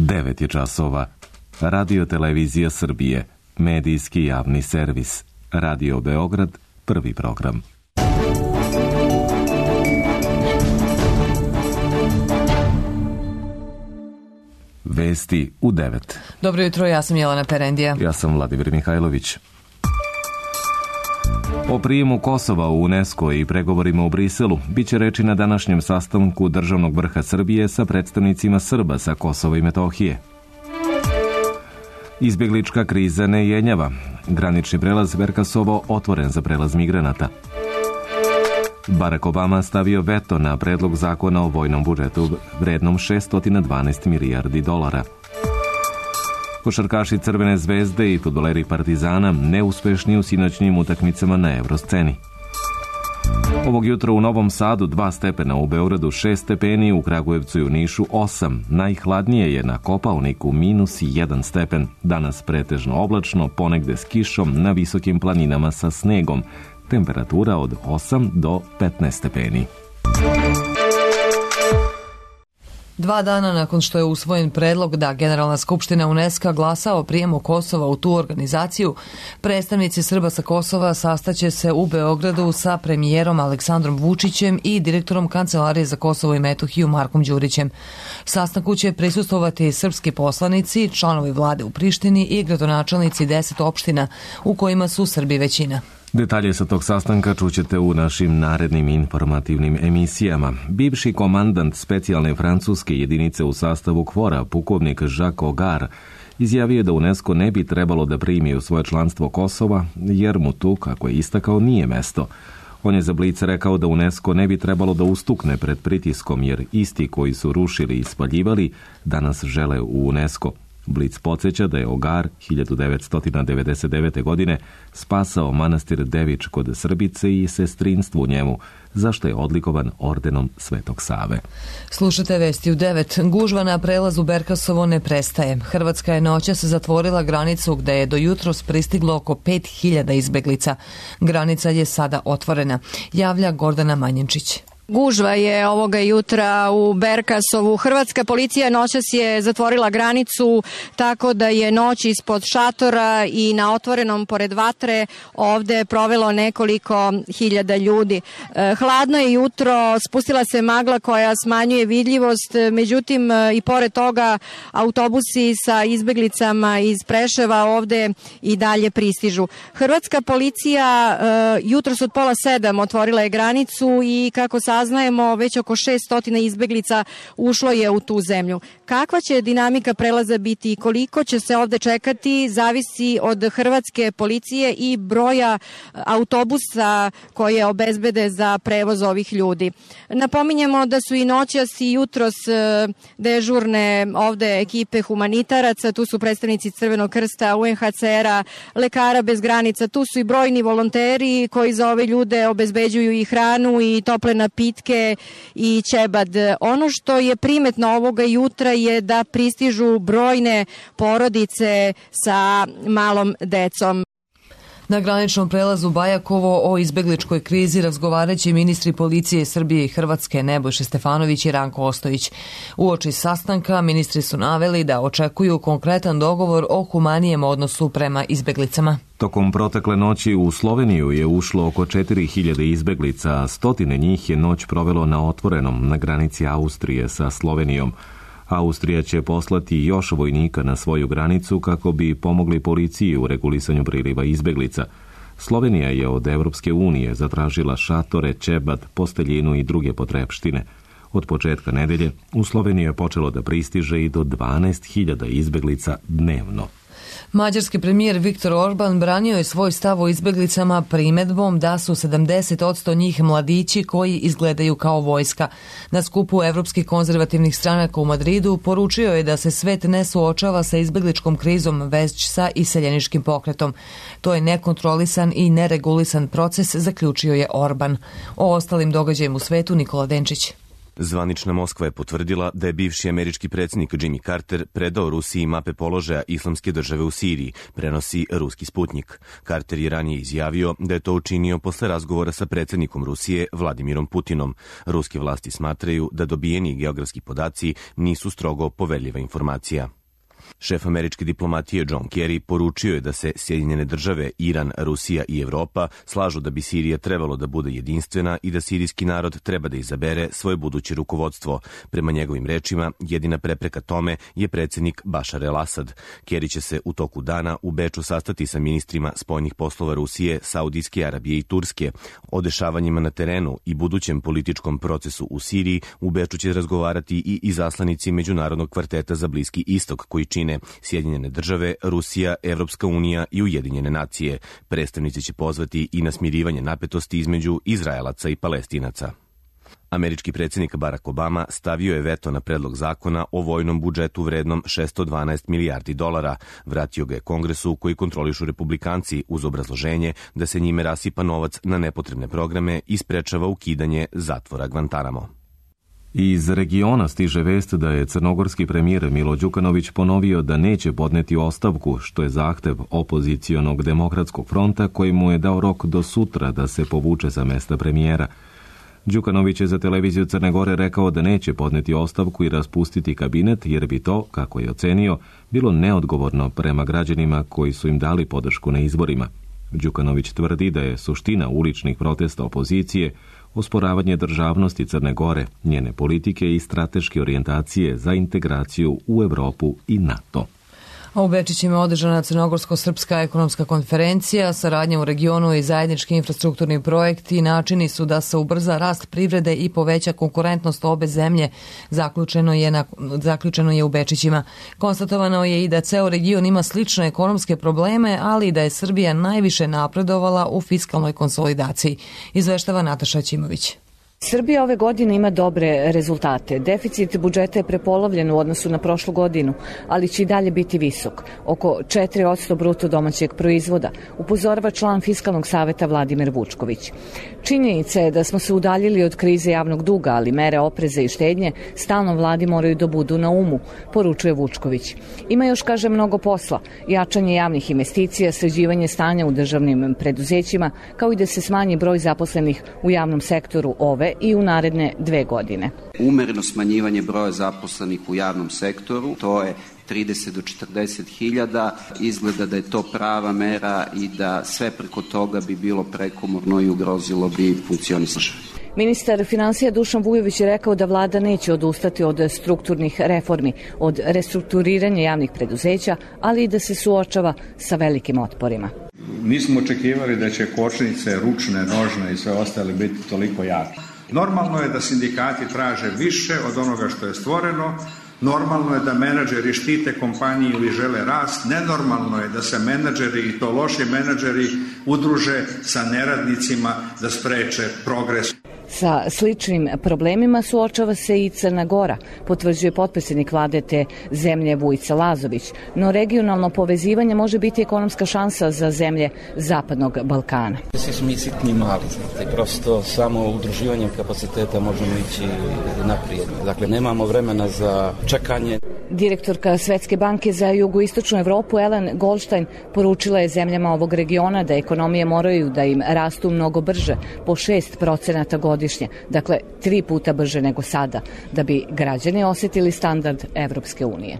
9 je časova. Radio Televizija Srbije, medijski javni servis. Radio Beograd, prvi program. Vesti u 9. Dobro jutro, ja sam Jelena Perendija. Ja sam Vladimir Mihajlović. O prijemu Kosova u UNESCO i pregovorima u Briselu biće reči na današnjem sastanku državnog vrha Srbije sa predstavnicima Srba sa Kosova i Metohije. Izbjeglička kriza ne jenjava. Granični prelaz Verkasovo otvoren za prelaz migranata. Barack Obama stavio veto na predlog zakona o vojnom budžetu vrednom $612 milijardi. Košarkaši Crvene zvezde i fudbaleri Partizana neuspešni u sinoćnim utakmicama na Evrosceni. Ovog jutra u Novom Sadu 2 stepena, u Beogradu 6 stepeni, u Kragujevcu i u Nišu 8. Najhladnije je na Kopaoniku -1 stepen. Danas pretežno oblačno, ponegde s kišom, na visokim planinama sa snegom. Temperatura od 8 do 15 stepeni. 2 dana nakon što je usvojen predlog da Generalna skupština UNESCO glasa o prijemu Kosova u tu organizaciju, predstavnici Srba sa Kosova sastaće se u Beogradu sa premijerom Aleksandrom Vučićem i direktorom Kancelarije za Kosovo i Metohiju Markom Đurićem. Sastanku će prisustvovati srpski poslanici, članovi vlade u Prištini i gradonačelnici 10 opština u kojima su Srbi većina. Detalje sa tog sastanka čućete u našim narednim informativnim emisijama. Bivši komandant specijalne francuske jedinice u sastavu KFOR-a, pukovnik Jacques Augar, izjavio da UNESCO ne bi trebalo da primi u svoje članstvo Kosova, jer mu tu, kako je istakao, nije mesto. On je za Blic rekao da UNESCO ne bi trebalo da ustukne pred pritiskom, jer isti koji su rušili i spaljivali danas žele u UNESCO. Blic podsjeća da je Augar 1999. godine spasao manastir Devič kod Srbice i sestrinstvo u njemu, zašto je odlikovan ordenom Svetog Save. Slušate vesti u 9. Gužva na prelazu Berkasovo ne prestaje. Hrvatska je noćas zatvorila granicu gde je do jutros pristiglo oko 5000 izbeglica. Granica je sada otvorena, javlja Gordana Manjenčić. Gužva je ovoga jutra u Berkasovu. Hrvatska policija noćas je zatvorila granicu tako da je noć ispod šatora i na otvorenom pored vatre ovde provelo nekoliko hiljada ljudi. Hladno je jutro, spustila se magla koja smanjuje vidljivost, međutim i pored toga autobusi sa izbeglicama iz Preševa ovde i dalje pristižu. Hrvatska policija jutros od 6:30 otvorila je granicu i kako saznajemo, već oko 600 izbeglica ušlo je u tu zemlju. Kakva će dinamika prelaza biti i koliko će se ovde čekati, zavisi od hrvatske policije i broja autobusa koje obezbede za prevoz ovih ljudi. Napominjemo da su i noćas i jutros dežurne ovde ekipe humanitaraca, tu su predstavnici Crvenog krsta, UNHCR-a, Lekara bez granica, tu su i brojni volonteri koji za ove ljude obezbeđuju i hranu i tople napitke i ćebad. Ono što je primetno ovoga jutra je da pristižu brojne porodice sa malom decom. Na graničnom prelazu Bajakovo o izbegličkoj krizi razgovaraće ministri policije Srbije i Hrvatske Nebojša Stefanović i Ranko Ostojić. Uoči sastanka ministri su naveli da očekuju konkretan dogovor o humanijem odnosu prema izbeglicama. Tokom protekle noći u Sloveniju je ušlo oko 4000 izbeglica, a stotine njih je noć provelo na otvorenom na granici Austrije sa Slovenijom. Austrija će poslati još vojnika na svoju granicu kako bi pomogli policiji u regulisanju priliva izbeglica. Slovenija je od Evropske unije zatražila šatore, ćebad, posteljinu i druge potrepštine. Od početka nedelje u Sloveniju je počelo da pristiže i do 12.000 izbeglica dnevno. Mađarski premijer Viktor Orban branio je svoj stav o izbeglicama primedbom da su 70% njih mladići koji izgledaju kao vojska. Na skupu evropskih konzervativnih stranaka u Madridu poručio je da se svet ne suočava sa izbegličkom krizom, već sa iseljeničkim pokretom. To je nekontrolisan i neregulisan proces, zaključio je Orban. O ostalim događajima u svetu Nikola Denčić. Zvanična Moskva je potvrdila da je bivši američki predsjednik Jimmy Carter predao Rusiji mape položaja Islamske države u Siriji, prenosi ruski Sputnik. Carter je ranije izjavio da je to učinio posle razgovora sa predsjednikom Rusije Vladimirom Putinom. Ruske vlasti smatraju da dobijeni geografski podaci nisu strogo poverljiva informacija. Šef američke diplomatije John Kerry poručio je da se Sjedinjene države, Iran, Rusija i Evropa slažu da bi Sirija trebalo da bude jedinstvena i da sirijski narod treba da izabere svoje buduće rukovodstvo. Prema njegovim rečima, jedina prepreka tome je predsjednik Bašar el-Asad. Kerry će se u toku dana u Beču sastati sa ministrima spoljnih poslova Rusije, Saudijske Arabije i Turske. O dešavanjima na terenu i budućem političkom procesu u Siriji u Beču će razgovarati i izaslanici Međunarodnog kvarteta za Bliski istok koji čine Sjedinjene države, Rusija, Evropska unija i Ujedinjene nacije. Predstavnici će pozvati i na smirivanje napetosti između Izraelaca i Palestinaca. Američki predsjednik Barack Obama stavio je veto na predlog zakona o vojnom budžetu vrednom $612 milijardi. Vratio ga je Kongresu koji kontrolišu republikanci uz obrazloženje da se njime rasipa novac na nepotrebne programe i sprečava ukidanje zatvora Guantanamo. Iz regiona stiže vest da je crnogorski premijer Milo Đukanović ponovio da neće podneti ostavku, što je zahtev opozicionog demokratskog fronta koji mu je dao rok do sutra da se povuče sa mesta premijera. Đukanović je za televiziju Crne Gore rekao da neće podneti ostavku i raspustiti kabinet jer bi to, kako je ocenio, bilo neodgovorno prema građanima koji su im dali podršku na izborima. Đukanović tvrdi da je suština uličnih protesta opozicije osporavanje državnosti Crne Gore, njene politike i strateške orijentacije za integraciju u Evropu i NATO. A u Bečićima je održana Crnogorsko-srpska ekonomska konferencija, saradnja u regionu i zajednički infrastrukturni projekti i načini su da se ubrza rast privrede i poveća konkurentnost obe zemlje, zaključeno je u Bečićima. Konstatovano je i da ceo region ima slične ekonomske probleme, ali i da je Srbija najviše napredovala u fiskalnoj konsolidaciji, izveštava Nataša Ćimović. Srbija ove godine ima dobre rezultate. Deficit budžeta je prepolovljen u odnosu na prošlu godinu, ali će i dalje biti visok, oko 4% bruto domaćeg proizvoda, upozorava član Fiskalnog saveta Vladimir Vučković. Činjenica je da smo se udaljili od krize javnog duga, ali mere opreza i štednje stalno vladi moraju da budu na umu, poručuje Vučković. Ima još, kaže, mnogo posla, jačanje javnih investicija, sređivanje stanja u državnim preduzećima, kao i da se smanji broj zaposlenih u javnom sektoru ove i u naredne 2 godine. Umereno smanjivanje broja zaposlenih u javnom sektoru, to je 30 do 40 hiljada, izgleda da je to prava mera i da sve preko toga bi bilo prekomorno i ugrozilo bi funkcionisanje. Ministar finansija Dušan Vujović je rekao da vlada neće odustati od strukturnih reformi, od restrukturiranja javnih preduzeća, ali i da se suočava sa velikim otporima. Nismo očekivali da će kočnice, ručne, nožne i sve ostale biti toliko jake. Normalno je da sindikati traže više od onoga što je stvoreno, normalno je da menadžeri štite kompaniju ili žele rast, nenormalno je da se menadžeri i to loši menadžeri udruže sa neradnicima da spreče progres. Sa sličnim problemima suočava se i Crna Gora, potvrđuje potpredsjednik vlade te zemlje Vujica Lazović, no regionalno povezivanje može biti ekonomska šansa za zemlje Zapadnog Balkana. Svi smo mi sitni mali, znate, prosto samo udruživanjem kapaciteta možemo ići naprijed. Dakle, nemamo vremena za čekanje. Direktorka Svetske banke za jugoistočnu Evropu Ellen Goldstein poručila je zemljama ovog regiona da ekonomije moraju da im rastu mnogo brže, po 6% godišnje, dakle 3 puta brže nego sada, da bi građani osjetili standard Evropske unije.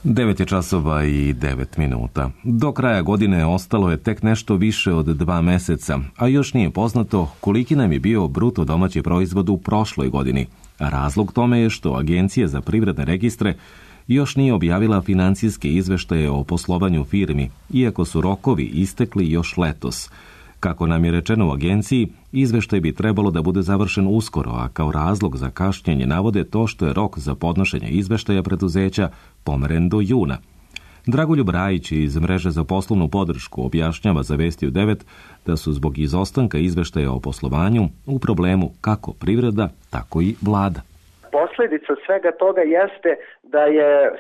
9 je časova i 9 minuta. Do kraja godine ostalo je tek nešto više od 2 meseca, a još nije poznato koliki nam je bio bruto domaći proizvod u prošloj godini. Razlog tome je što Agencija za privredne registre još nije objavila financijske izveštaje o poslovanju firmi, iako su rokovi istekli još letos. Kako nam je rečeno u agenciji, izveštaj bi trebalo da bude završen uskoro, a kao razlog za kašnjenje navode to što je rok za podnošenje izveštaja preduzeća pomeren do juna. Dragoljub Rajić iz Mreže za poslovnu podršku objašnjava za Vesti u 9 da su zbog izostanka izveštaja o poslovanju u problemu kako privreda, tako i vlada. Posledica svega toga jeste da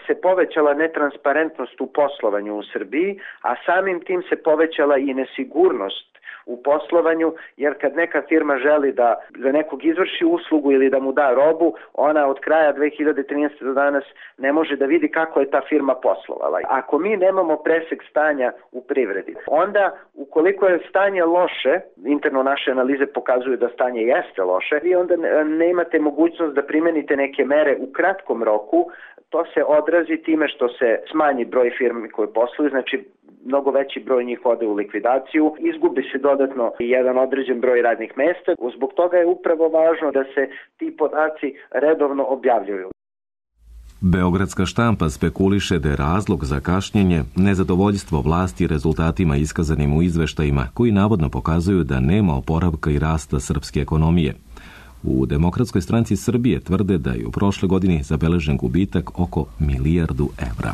se povećala netransparentnost u poslovanju u Srbiji, a samim tim se povećala i nesigurnost u poslovanju, jer kad neka firma želi da za nekog izvrši uslugu ili da mu da robu, ona od kraja 2013. do danas ne može da vidi kako je ta firma poslovala. Ako mi nemamo presek stanja u privredi, onda ukoliko je stanje loše, interno naše analize pokazuju da stanje jeste loše, vi onda ne imate mogućnost da primenite neke mere u kratkom roku. To se odrazi time što se smanji broj firmi koje posluju, znači mnogo veći broj njih ode u likvidaciju, izgubi se dodatno jedan određen broj radnih mesta. Zbog toga je upravo važno da se ti podaci redovno objavljuju. Beogradska štampa spekuliše da je razlog za kašnjenje nezadovoljstvo vlasti rezultatima iskazanim u izveštajima koji navodno pokazuju da nema oporavka i rasta srpske ekonomije. U Demokratskoj stranci Srbije tvrde da je u prošle godini zabeležen gubitak oko 1 milijardu evra.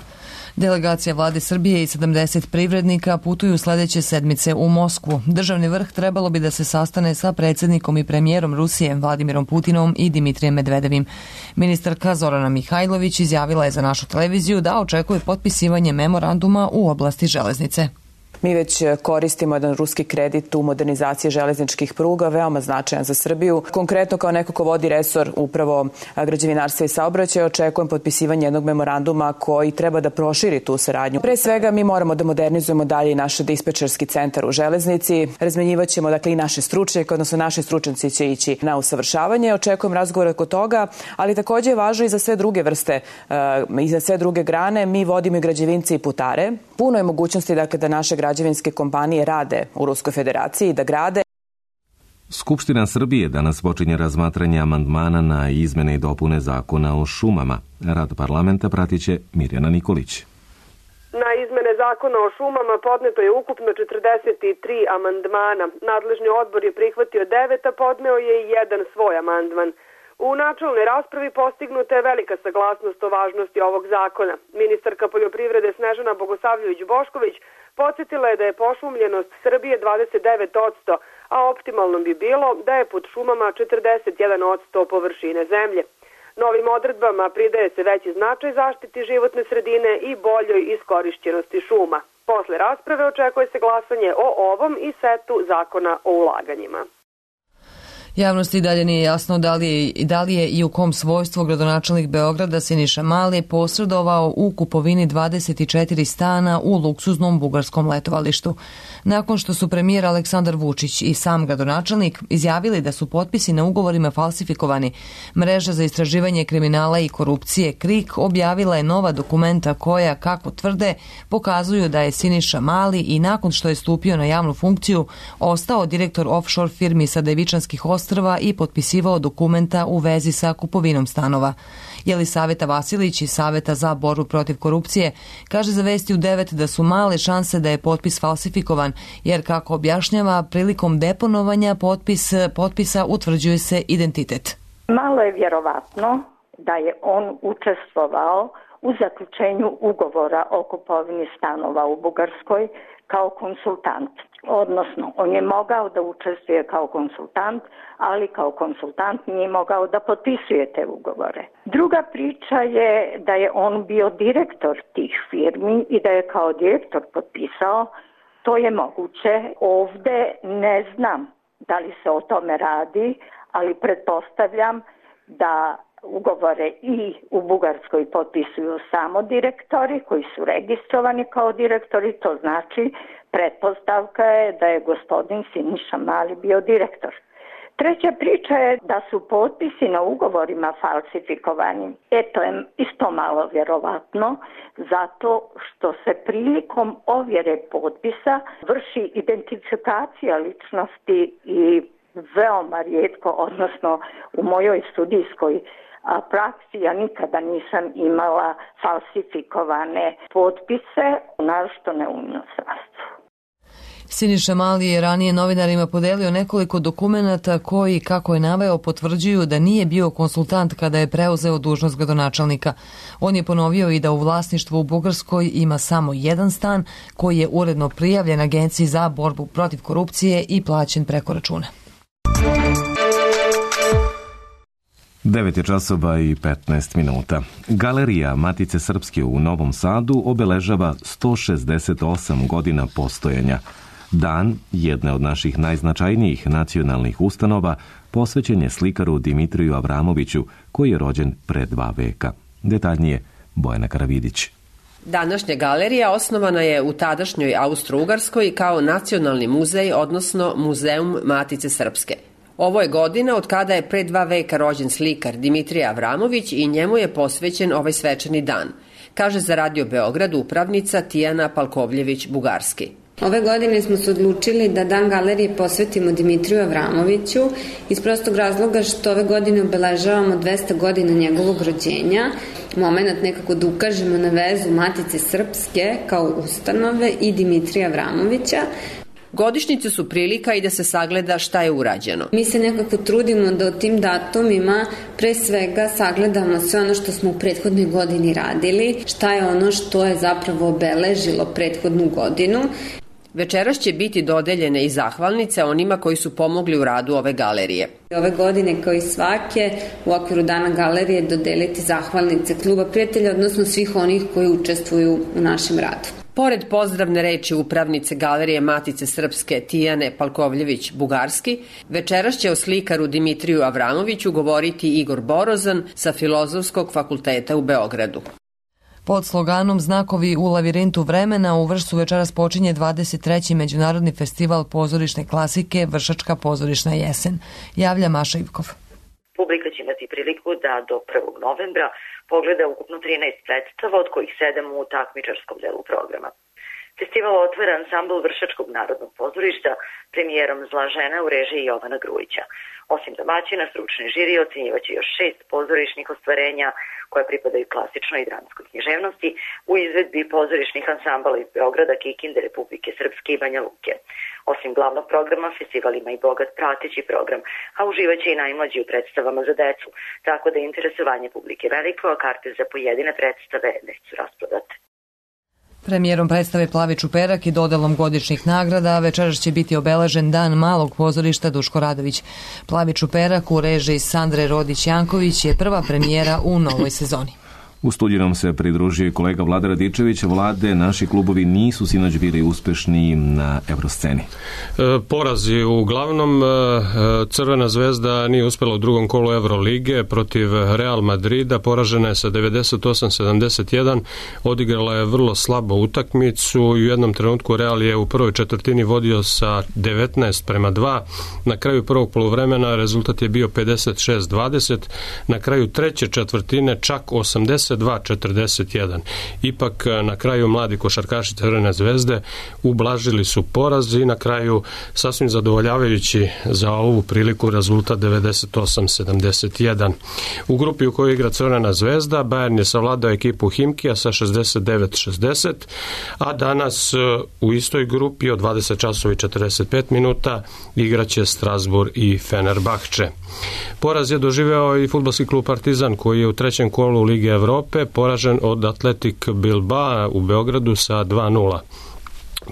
Delegacija vlade Srbije i 70 privrednika putuju sledeće sedmice u Moskvu. Državni vrh trebalo bi da se sastane sa predsjednikom i premijerom Rusije Vladimirom Putinom i Dimitrijem Medvedevim. Ministarka Zorana Mihajlović izjavila je za našu televiziju da očekuje potpisivanje memoranduma u oblasti železnice. Mi već koristimo jedan ruski kredit u modernizaciji železničkih pruga, veoma značajan za Srbiju. Konkretno kao neko ko vodi resor upravo građevinarstva i saobraćaja, očekujem potpisivanje jednog memoranduma koji treba da proširi tu saradnju. Pre svega mi moramo da modernizujemo dalje i naš dispečerski centar u železnici. Razmenjivaćemo i naše stručnjake, odnosno naši stručnjaci će ići na usavršavanje. Očekujem razgovor oko toga, ali takođe je važno i za sve druge vrste i za sve druge grane. Mi vodimo i građevince i putare. Puno je mogućnosti da naše građevinske kompanije rade u Ruskoj federaciji i da grade. Skupština Srbije danas počinje razmatranje amandmana na izmene i dopune zakona o šumama. Rad parlamenta pratit će Mirjana Nikolić. Na izmene zakona o šumama podneto je ukupno 43 amandmana. Nadležni odbor je prihvatio 9, a podneo je i jedan svoj amandman. U načelnoj raspravi postignuta je velika saglasnost o važnosti ovog zakona. Ministarka poljoprivrede Snežana Bogosavljević-Bošković podsjetila je da je pošumljenost Srbije 29%, a optimalno bi bilo da je pod šumama 41% površine zemlje. Novim odredbama pridaje se veći značaj zaštiti životne sredine i boljoj iskorišćenosti šuma. Posle rasprave očekuje se glasanje o ovom i setu zakona o ulaganjima. Javnosti dalje nije jasno da li je i u kom svojstvu gradonačelnik Beograda Siniša Mali posredovao u kupovini 24 stana u luksuznom bugarskom letovalištu. Nakon što su premijer Aleksandar Vučić i sam gradonačelnik izjavili da su potpisi na ugovorima falsifikovani, Mreža za istraživanje kriminala i korupcije KRIK objavila je nova dokumenta koja, kako tvrde, pokazuju da je Siniša Mali i nakon što je stupio na javnu funkciju ostao direktor offshore firmi sa Devičanskih ostrva i potpisivao dokumenta u vezi sa kupovinom stanova. Jelisaveta Vasilić iz Saveta za borbu protiv korupcije kaže za Vesti u 9 da su male šanse da je potpis falsifikovan, jer kako objašnjava, prilikom deponovanja potpisa utvrđuje se identitet. Malo je vjerovatno da je on učestvovao u zaključenju ugovora o kupovini stanova u Bugarskoj kao konsultant. Odnosno, on je mogao da učestvuje kao konsultant, ali kao konsultant nije mogao da potpisuje te ugovore. Druga priča je da je on bio direktor tih firmi i da je kao direktor potpisao. To je moguće. Ovde ne znam da li se o tome radi, ali pretpostavljam da ugovore i u Bugarskoj potpisuju samo direktori koji su registrovani kao direktori. To znači pretpostavka je da je gospodin Siniša Mali bio direktor. Treća priča je da su potpisi na ugovorima falsifikovani. To je isto malo vjerovatno, zato što se prilikom ovjere potpisa vrši identifikacija ličnosti i veoma rijetko, odnosno u mojoj studijskoj praksi ja nikada nisam imala falsifikovane potpise, naročito ne u inostranstvu. Siniša Mali je ranije novinarima podelio nekoliko dokumenata koji, kako je naveo, potvrđuju da nije bio konsultant kada je preuzeo dužnost gradonačelnika. On je ponovio i da u vlasništvu u Bugarskoj ima samo jedan stan koji je uredno prijavljen Agenciji za borbu protiv korupcije i plaćen preko računa. 9 časova i 15 minuta. Galerija Matice Srpske u Novom Sadu obeležava 168 godina postojanja. Dan, jedne od naših najznačajnijih nacionalnih ustanova, posvećen je slikaru Dimitriju Avramoviću, koji je rođen pre 2 veka. Detaljnije, Bojana Karavidić. Današnja galerija osnovana je u tadašnjoj Austro-Ugarskoj kao nacionalni muzej, odnosno Muzeum Matice Srpske. Ovo je godina od kada je pre 2 veka rođen slikar Dimitrij Avramović i njemu je posvećen ovaj svečani dan, kaže za Radio Beograd upravnica Tijana Palkovljević-Bugarski. Ove godine smo se odlučili da Dan galerije posvetimo Dimitriju Avramoviću iz prostog razloga što ove godine obeležavamo 200 godina njegovog rođenja, moment nekako da ukažemo na vezu Matice Srpske kao ustanove i Dimitrija Avramovića. Godišnjice su prilika i da se sagleda šta je urađeno. Mi se nekako trudimo da o tim datumima pre svega sagledamo sve ono što smo u prethodnoj godini radili, šta je ono što je zapravo obeležilo prethodnu godinu. Večeras će biti dodeljene i zahvalnice onima koji su pomogli u radu ove galerije. Ove godine, kao i svake, u okviru Dana galerije dodeliti zahvalnice Kluba prijatelja, odnosno svih onih koji učestvuju u našem radu. Pored pozdravne reči upravnice Galerije Matice Srpske Tijane Palkovljević-Bugarski, večeras će o slikaru Dimitriju Avramoviću govoriti Igor Borozan sa Filozofskog fakulteta u Beogradu. Pod sloganom Znakovi u lavirintu vremena u Vršcu večeras počinje 23. Međunarodni festival pozorišne klasike Vršačka pozorišna jesen. Javlja Maša Ivkov. Publika će imati priliku da do 1. novembra pogleda ukupno 13 predstava, od kojih 7 u takmičarskom delu programa. Festival otvara ansambl Vršačkog narodnog pozorišta premijerom Zla žena u režiji Jovana Grujića. Osim domaćina, stručni žiri ocenjivaće još 6 pozorišnih ostvarenja koja pripadaju klasičnoj i dramskoj književnosti u izvedbi pozorišnih ansambala iz Beograda, Kikinde, Republike Srpske i Banja Luke. Osim glavnog programa, festival ima i bogat prateći program, a uživaće i najmlađi u predstavama za decu, tako da je interesovanje publike veliko, a karte za pojedine predstave već su rasprodate. Premijerom predstave Plavi čuperak i dodelom godišnjih nagrada večeras će biti obeležen Dan malog pozorišta Duško Radović. Plavi čuperak u režiji Sandre Rodić-Janković je prva premijera u novoj sezoni. U studiju nam se pridružio kolega Vlada Radičević. Vlade, naši klubovi nisu sinoć bili uspešni na Evrosceni. Porazi uglavnom. Crvena zvezda nije uspela u drugom kolu Evrolige protiv Real Madrida, poražena je sa 98-71, odigrala je vrlo slabo utakmicu i u jednom trenutku Real je u prvoj četvrtini vodio sa 19-2, na kraju prvog poluvremena rezultat je bio 56-20, na kraju treće četvrtine čak 82-41. Ipak na kraju mladi košarkaši Crvene zvezde ublažili su poraz i na kraju sasvim zadovoljavajući za ovu priliku rezultat 98-71. U grupi u kojoj igra Crvena zvezda, Bayern je savladao ekipu Himkija sa 69-60, a danas u istoj grupi od 20 časova i 45 minuta igraće Strasbourg i Fenerbahče. Poraz je doživeo i fudbalski klub Partizan, koji je u trećem kolu Lige Evrope poražen od Atletik Bilbao u Beogradu sa 2-0.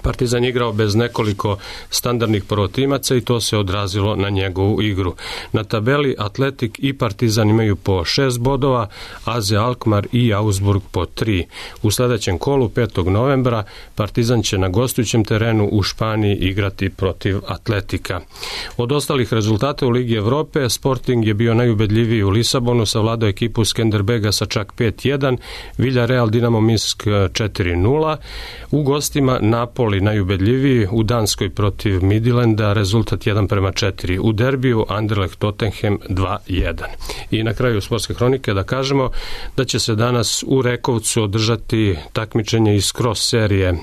Partizan je igrao bez nekoliko standardnih prvotimaca i to se odrazilo na njegovu igru. Na tabeli Atletik i Partizan imaju po 6 bodova, AZ Alkmaar i Augsburg po 3. U sledećem kolu 5. novembra Partizan će na gostujućem terenu u Španiji igrati protiv Atletika. Od ostalih rezultata u Ligi Evrope, Sporting je bio najubedljiviji u Lisabonu, savladao ekipu Skenderbega sa čak 5-1, Villarreal Dinamo Minsk 4-0, u gostima Napoli najubedljiviji u Danskoj protiv Midlanda, rezultat 1-4. U derbiju Anderlecht Tottenham 2-1. I na kraju sportske hronike da kažemo da će se danas u Rekovcu održati takmičenje iz cross serije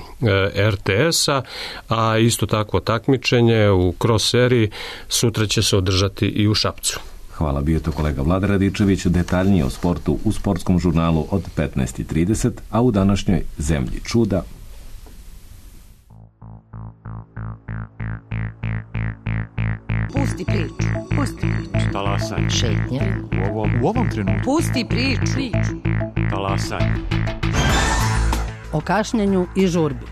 RTS-a, a isto takvo takmičenje u cross seriji sutra će se održati i u Šapcu. Hvala, bio to kolega Vlada Radičević. Detaljnije o sportu u sportskom žurnalu od 15:30, a u današnjoj Zemlji čuda Pusti priču. Pusti priču. Talasaj. Šetnja. U ovom trenutku. Pusti priču. Talasaj. O kašnjenju i žurbi.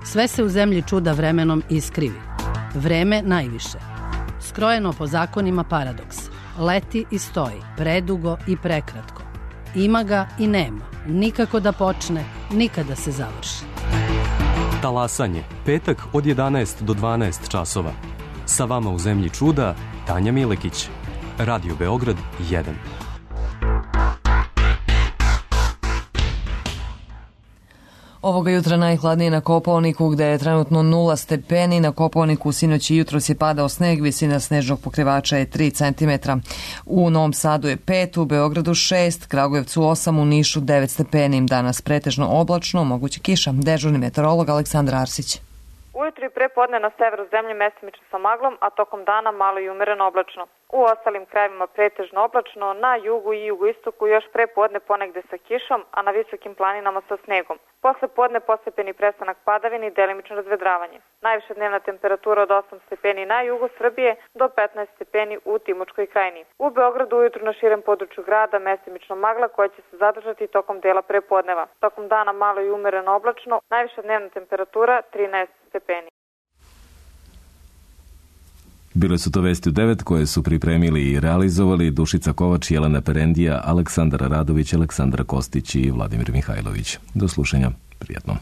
Sve se u zemlji čuda vremenom iskrivi. Vreme najviše. Skrojeno po zakonima paradoks. Leti i stoji. Predugo i prekratko. Ima ga i nema. Nikako da počne, nikada se završi. Talasanje, petak od 11 do 12 časova. Sa vama u Zemlji čuda, Tanja Milekić. Radio Beograd 1. Ovoga jutra najhladnije na Kopaoniku, gde je trenutno 0 stepeni. Na Kopaoniku sinoć i jutros je padao sneg, visina snežnog pokrivača je 3 cm. U Novom Sadu je 5, u Beogradu 6, Kragujevcu 8, u Nišu 9 stepeni. Danas pretežno oblačno, moguće kiša. Dežurni meteorolog Aleksandar Arsić. Ujutro i prepodne na severu zemlje mestimično sa maglom, a tokom dana malo i umereno oblačno. U ostalim krajevima pretežno oblačno, na jugu i jugoistoku još prepodne ponegde sa kišom, a na visokim planinama sa snegom. Posle podne postepeni prestanak padavine i delimično razvedravanje. Najviša dnevna temperatura od 8 stepeni na jugu Srbije do 15 stepeni u Timočkoj krajini. U Beogradu ujutru na širem području grada mestimično magla koja će se zadržati tokom dela prepodneva. Tokom dana malo i umereno oblačno, najviša dnevna temperatura 13 stepeni. Bile su to vesti u 9 koje su pripremili i realizovali Dušica Kovač, Jelena Perendija, Aleksandar Radović, Aleksandra Kostić i Vladimir Mihajlović. Do slušanja. Prijetno.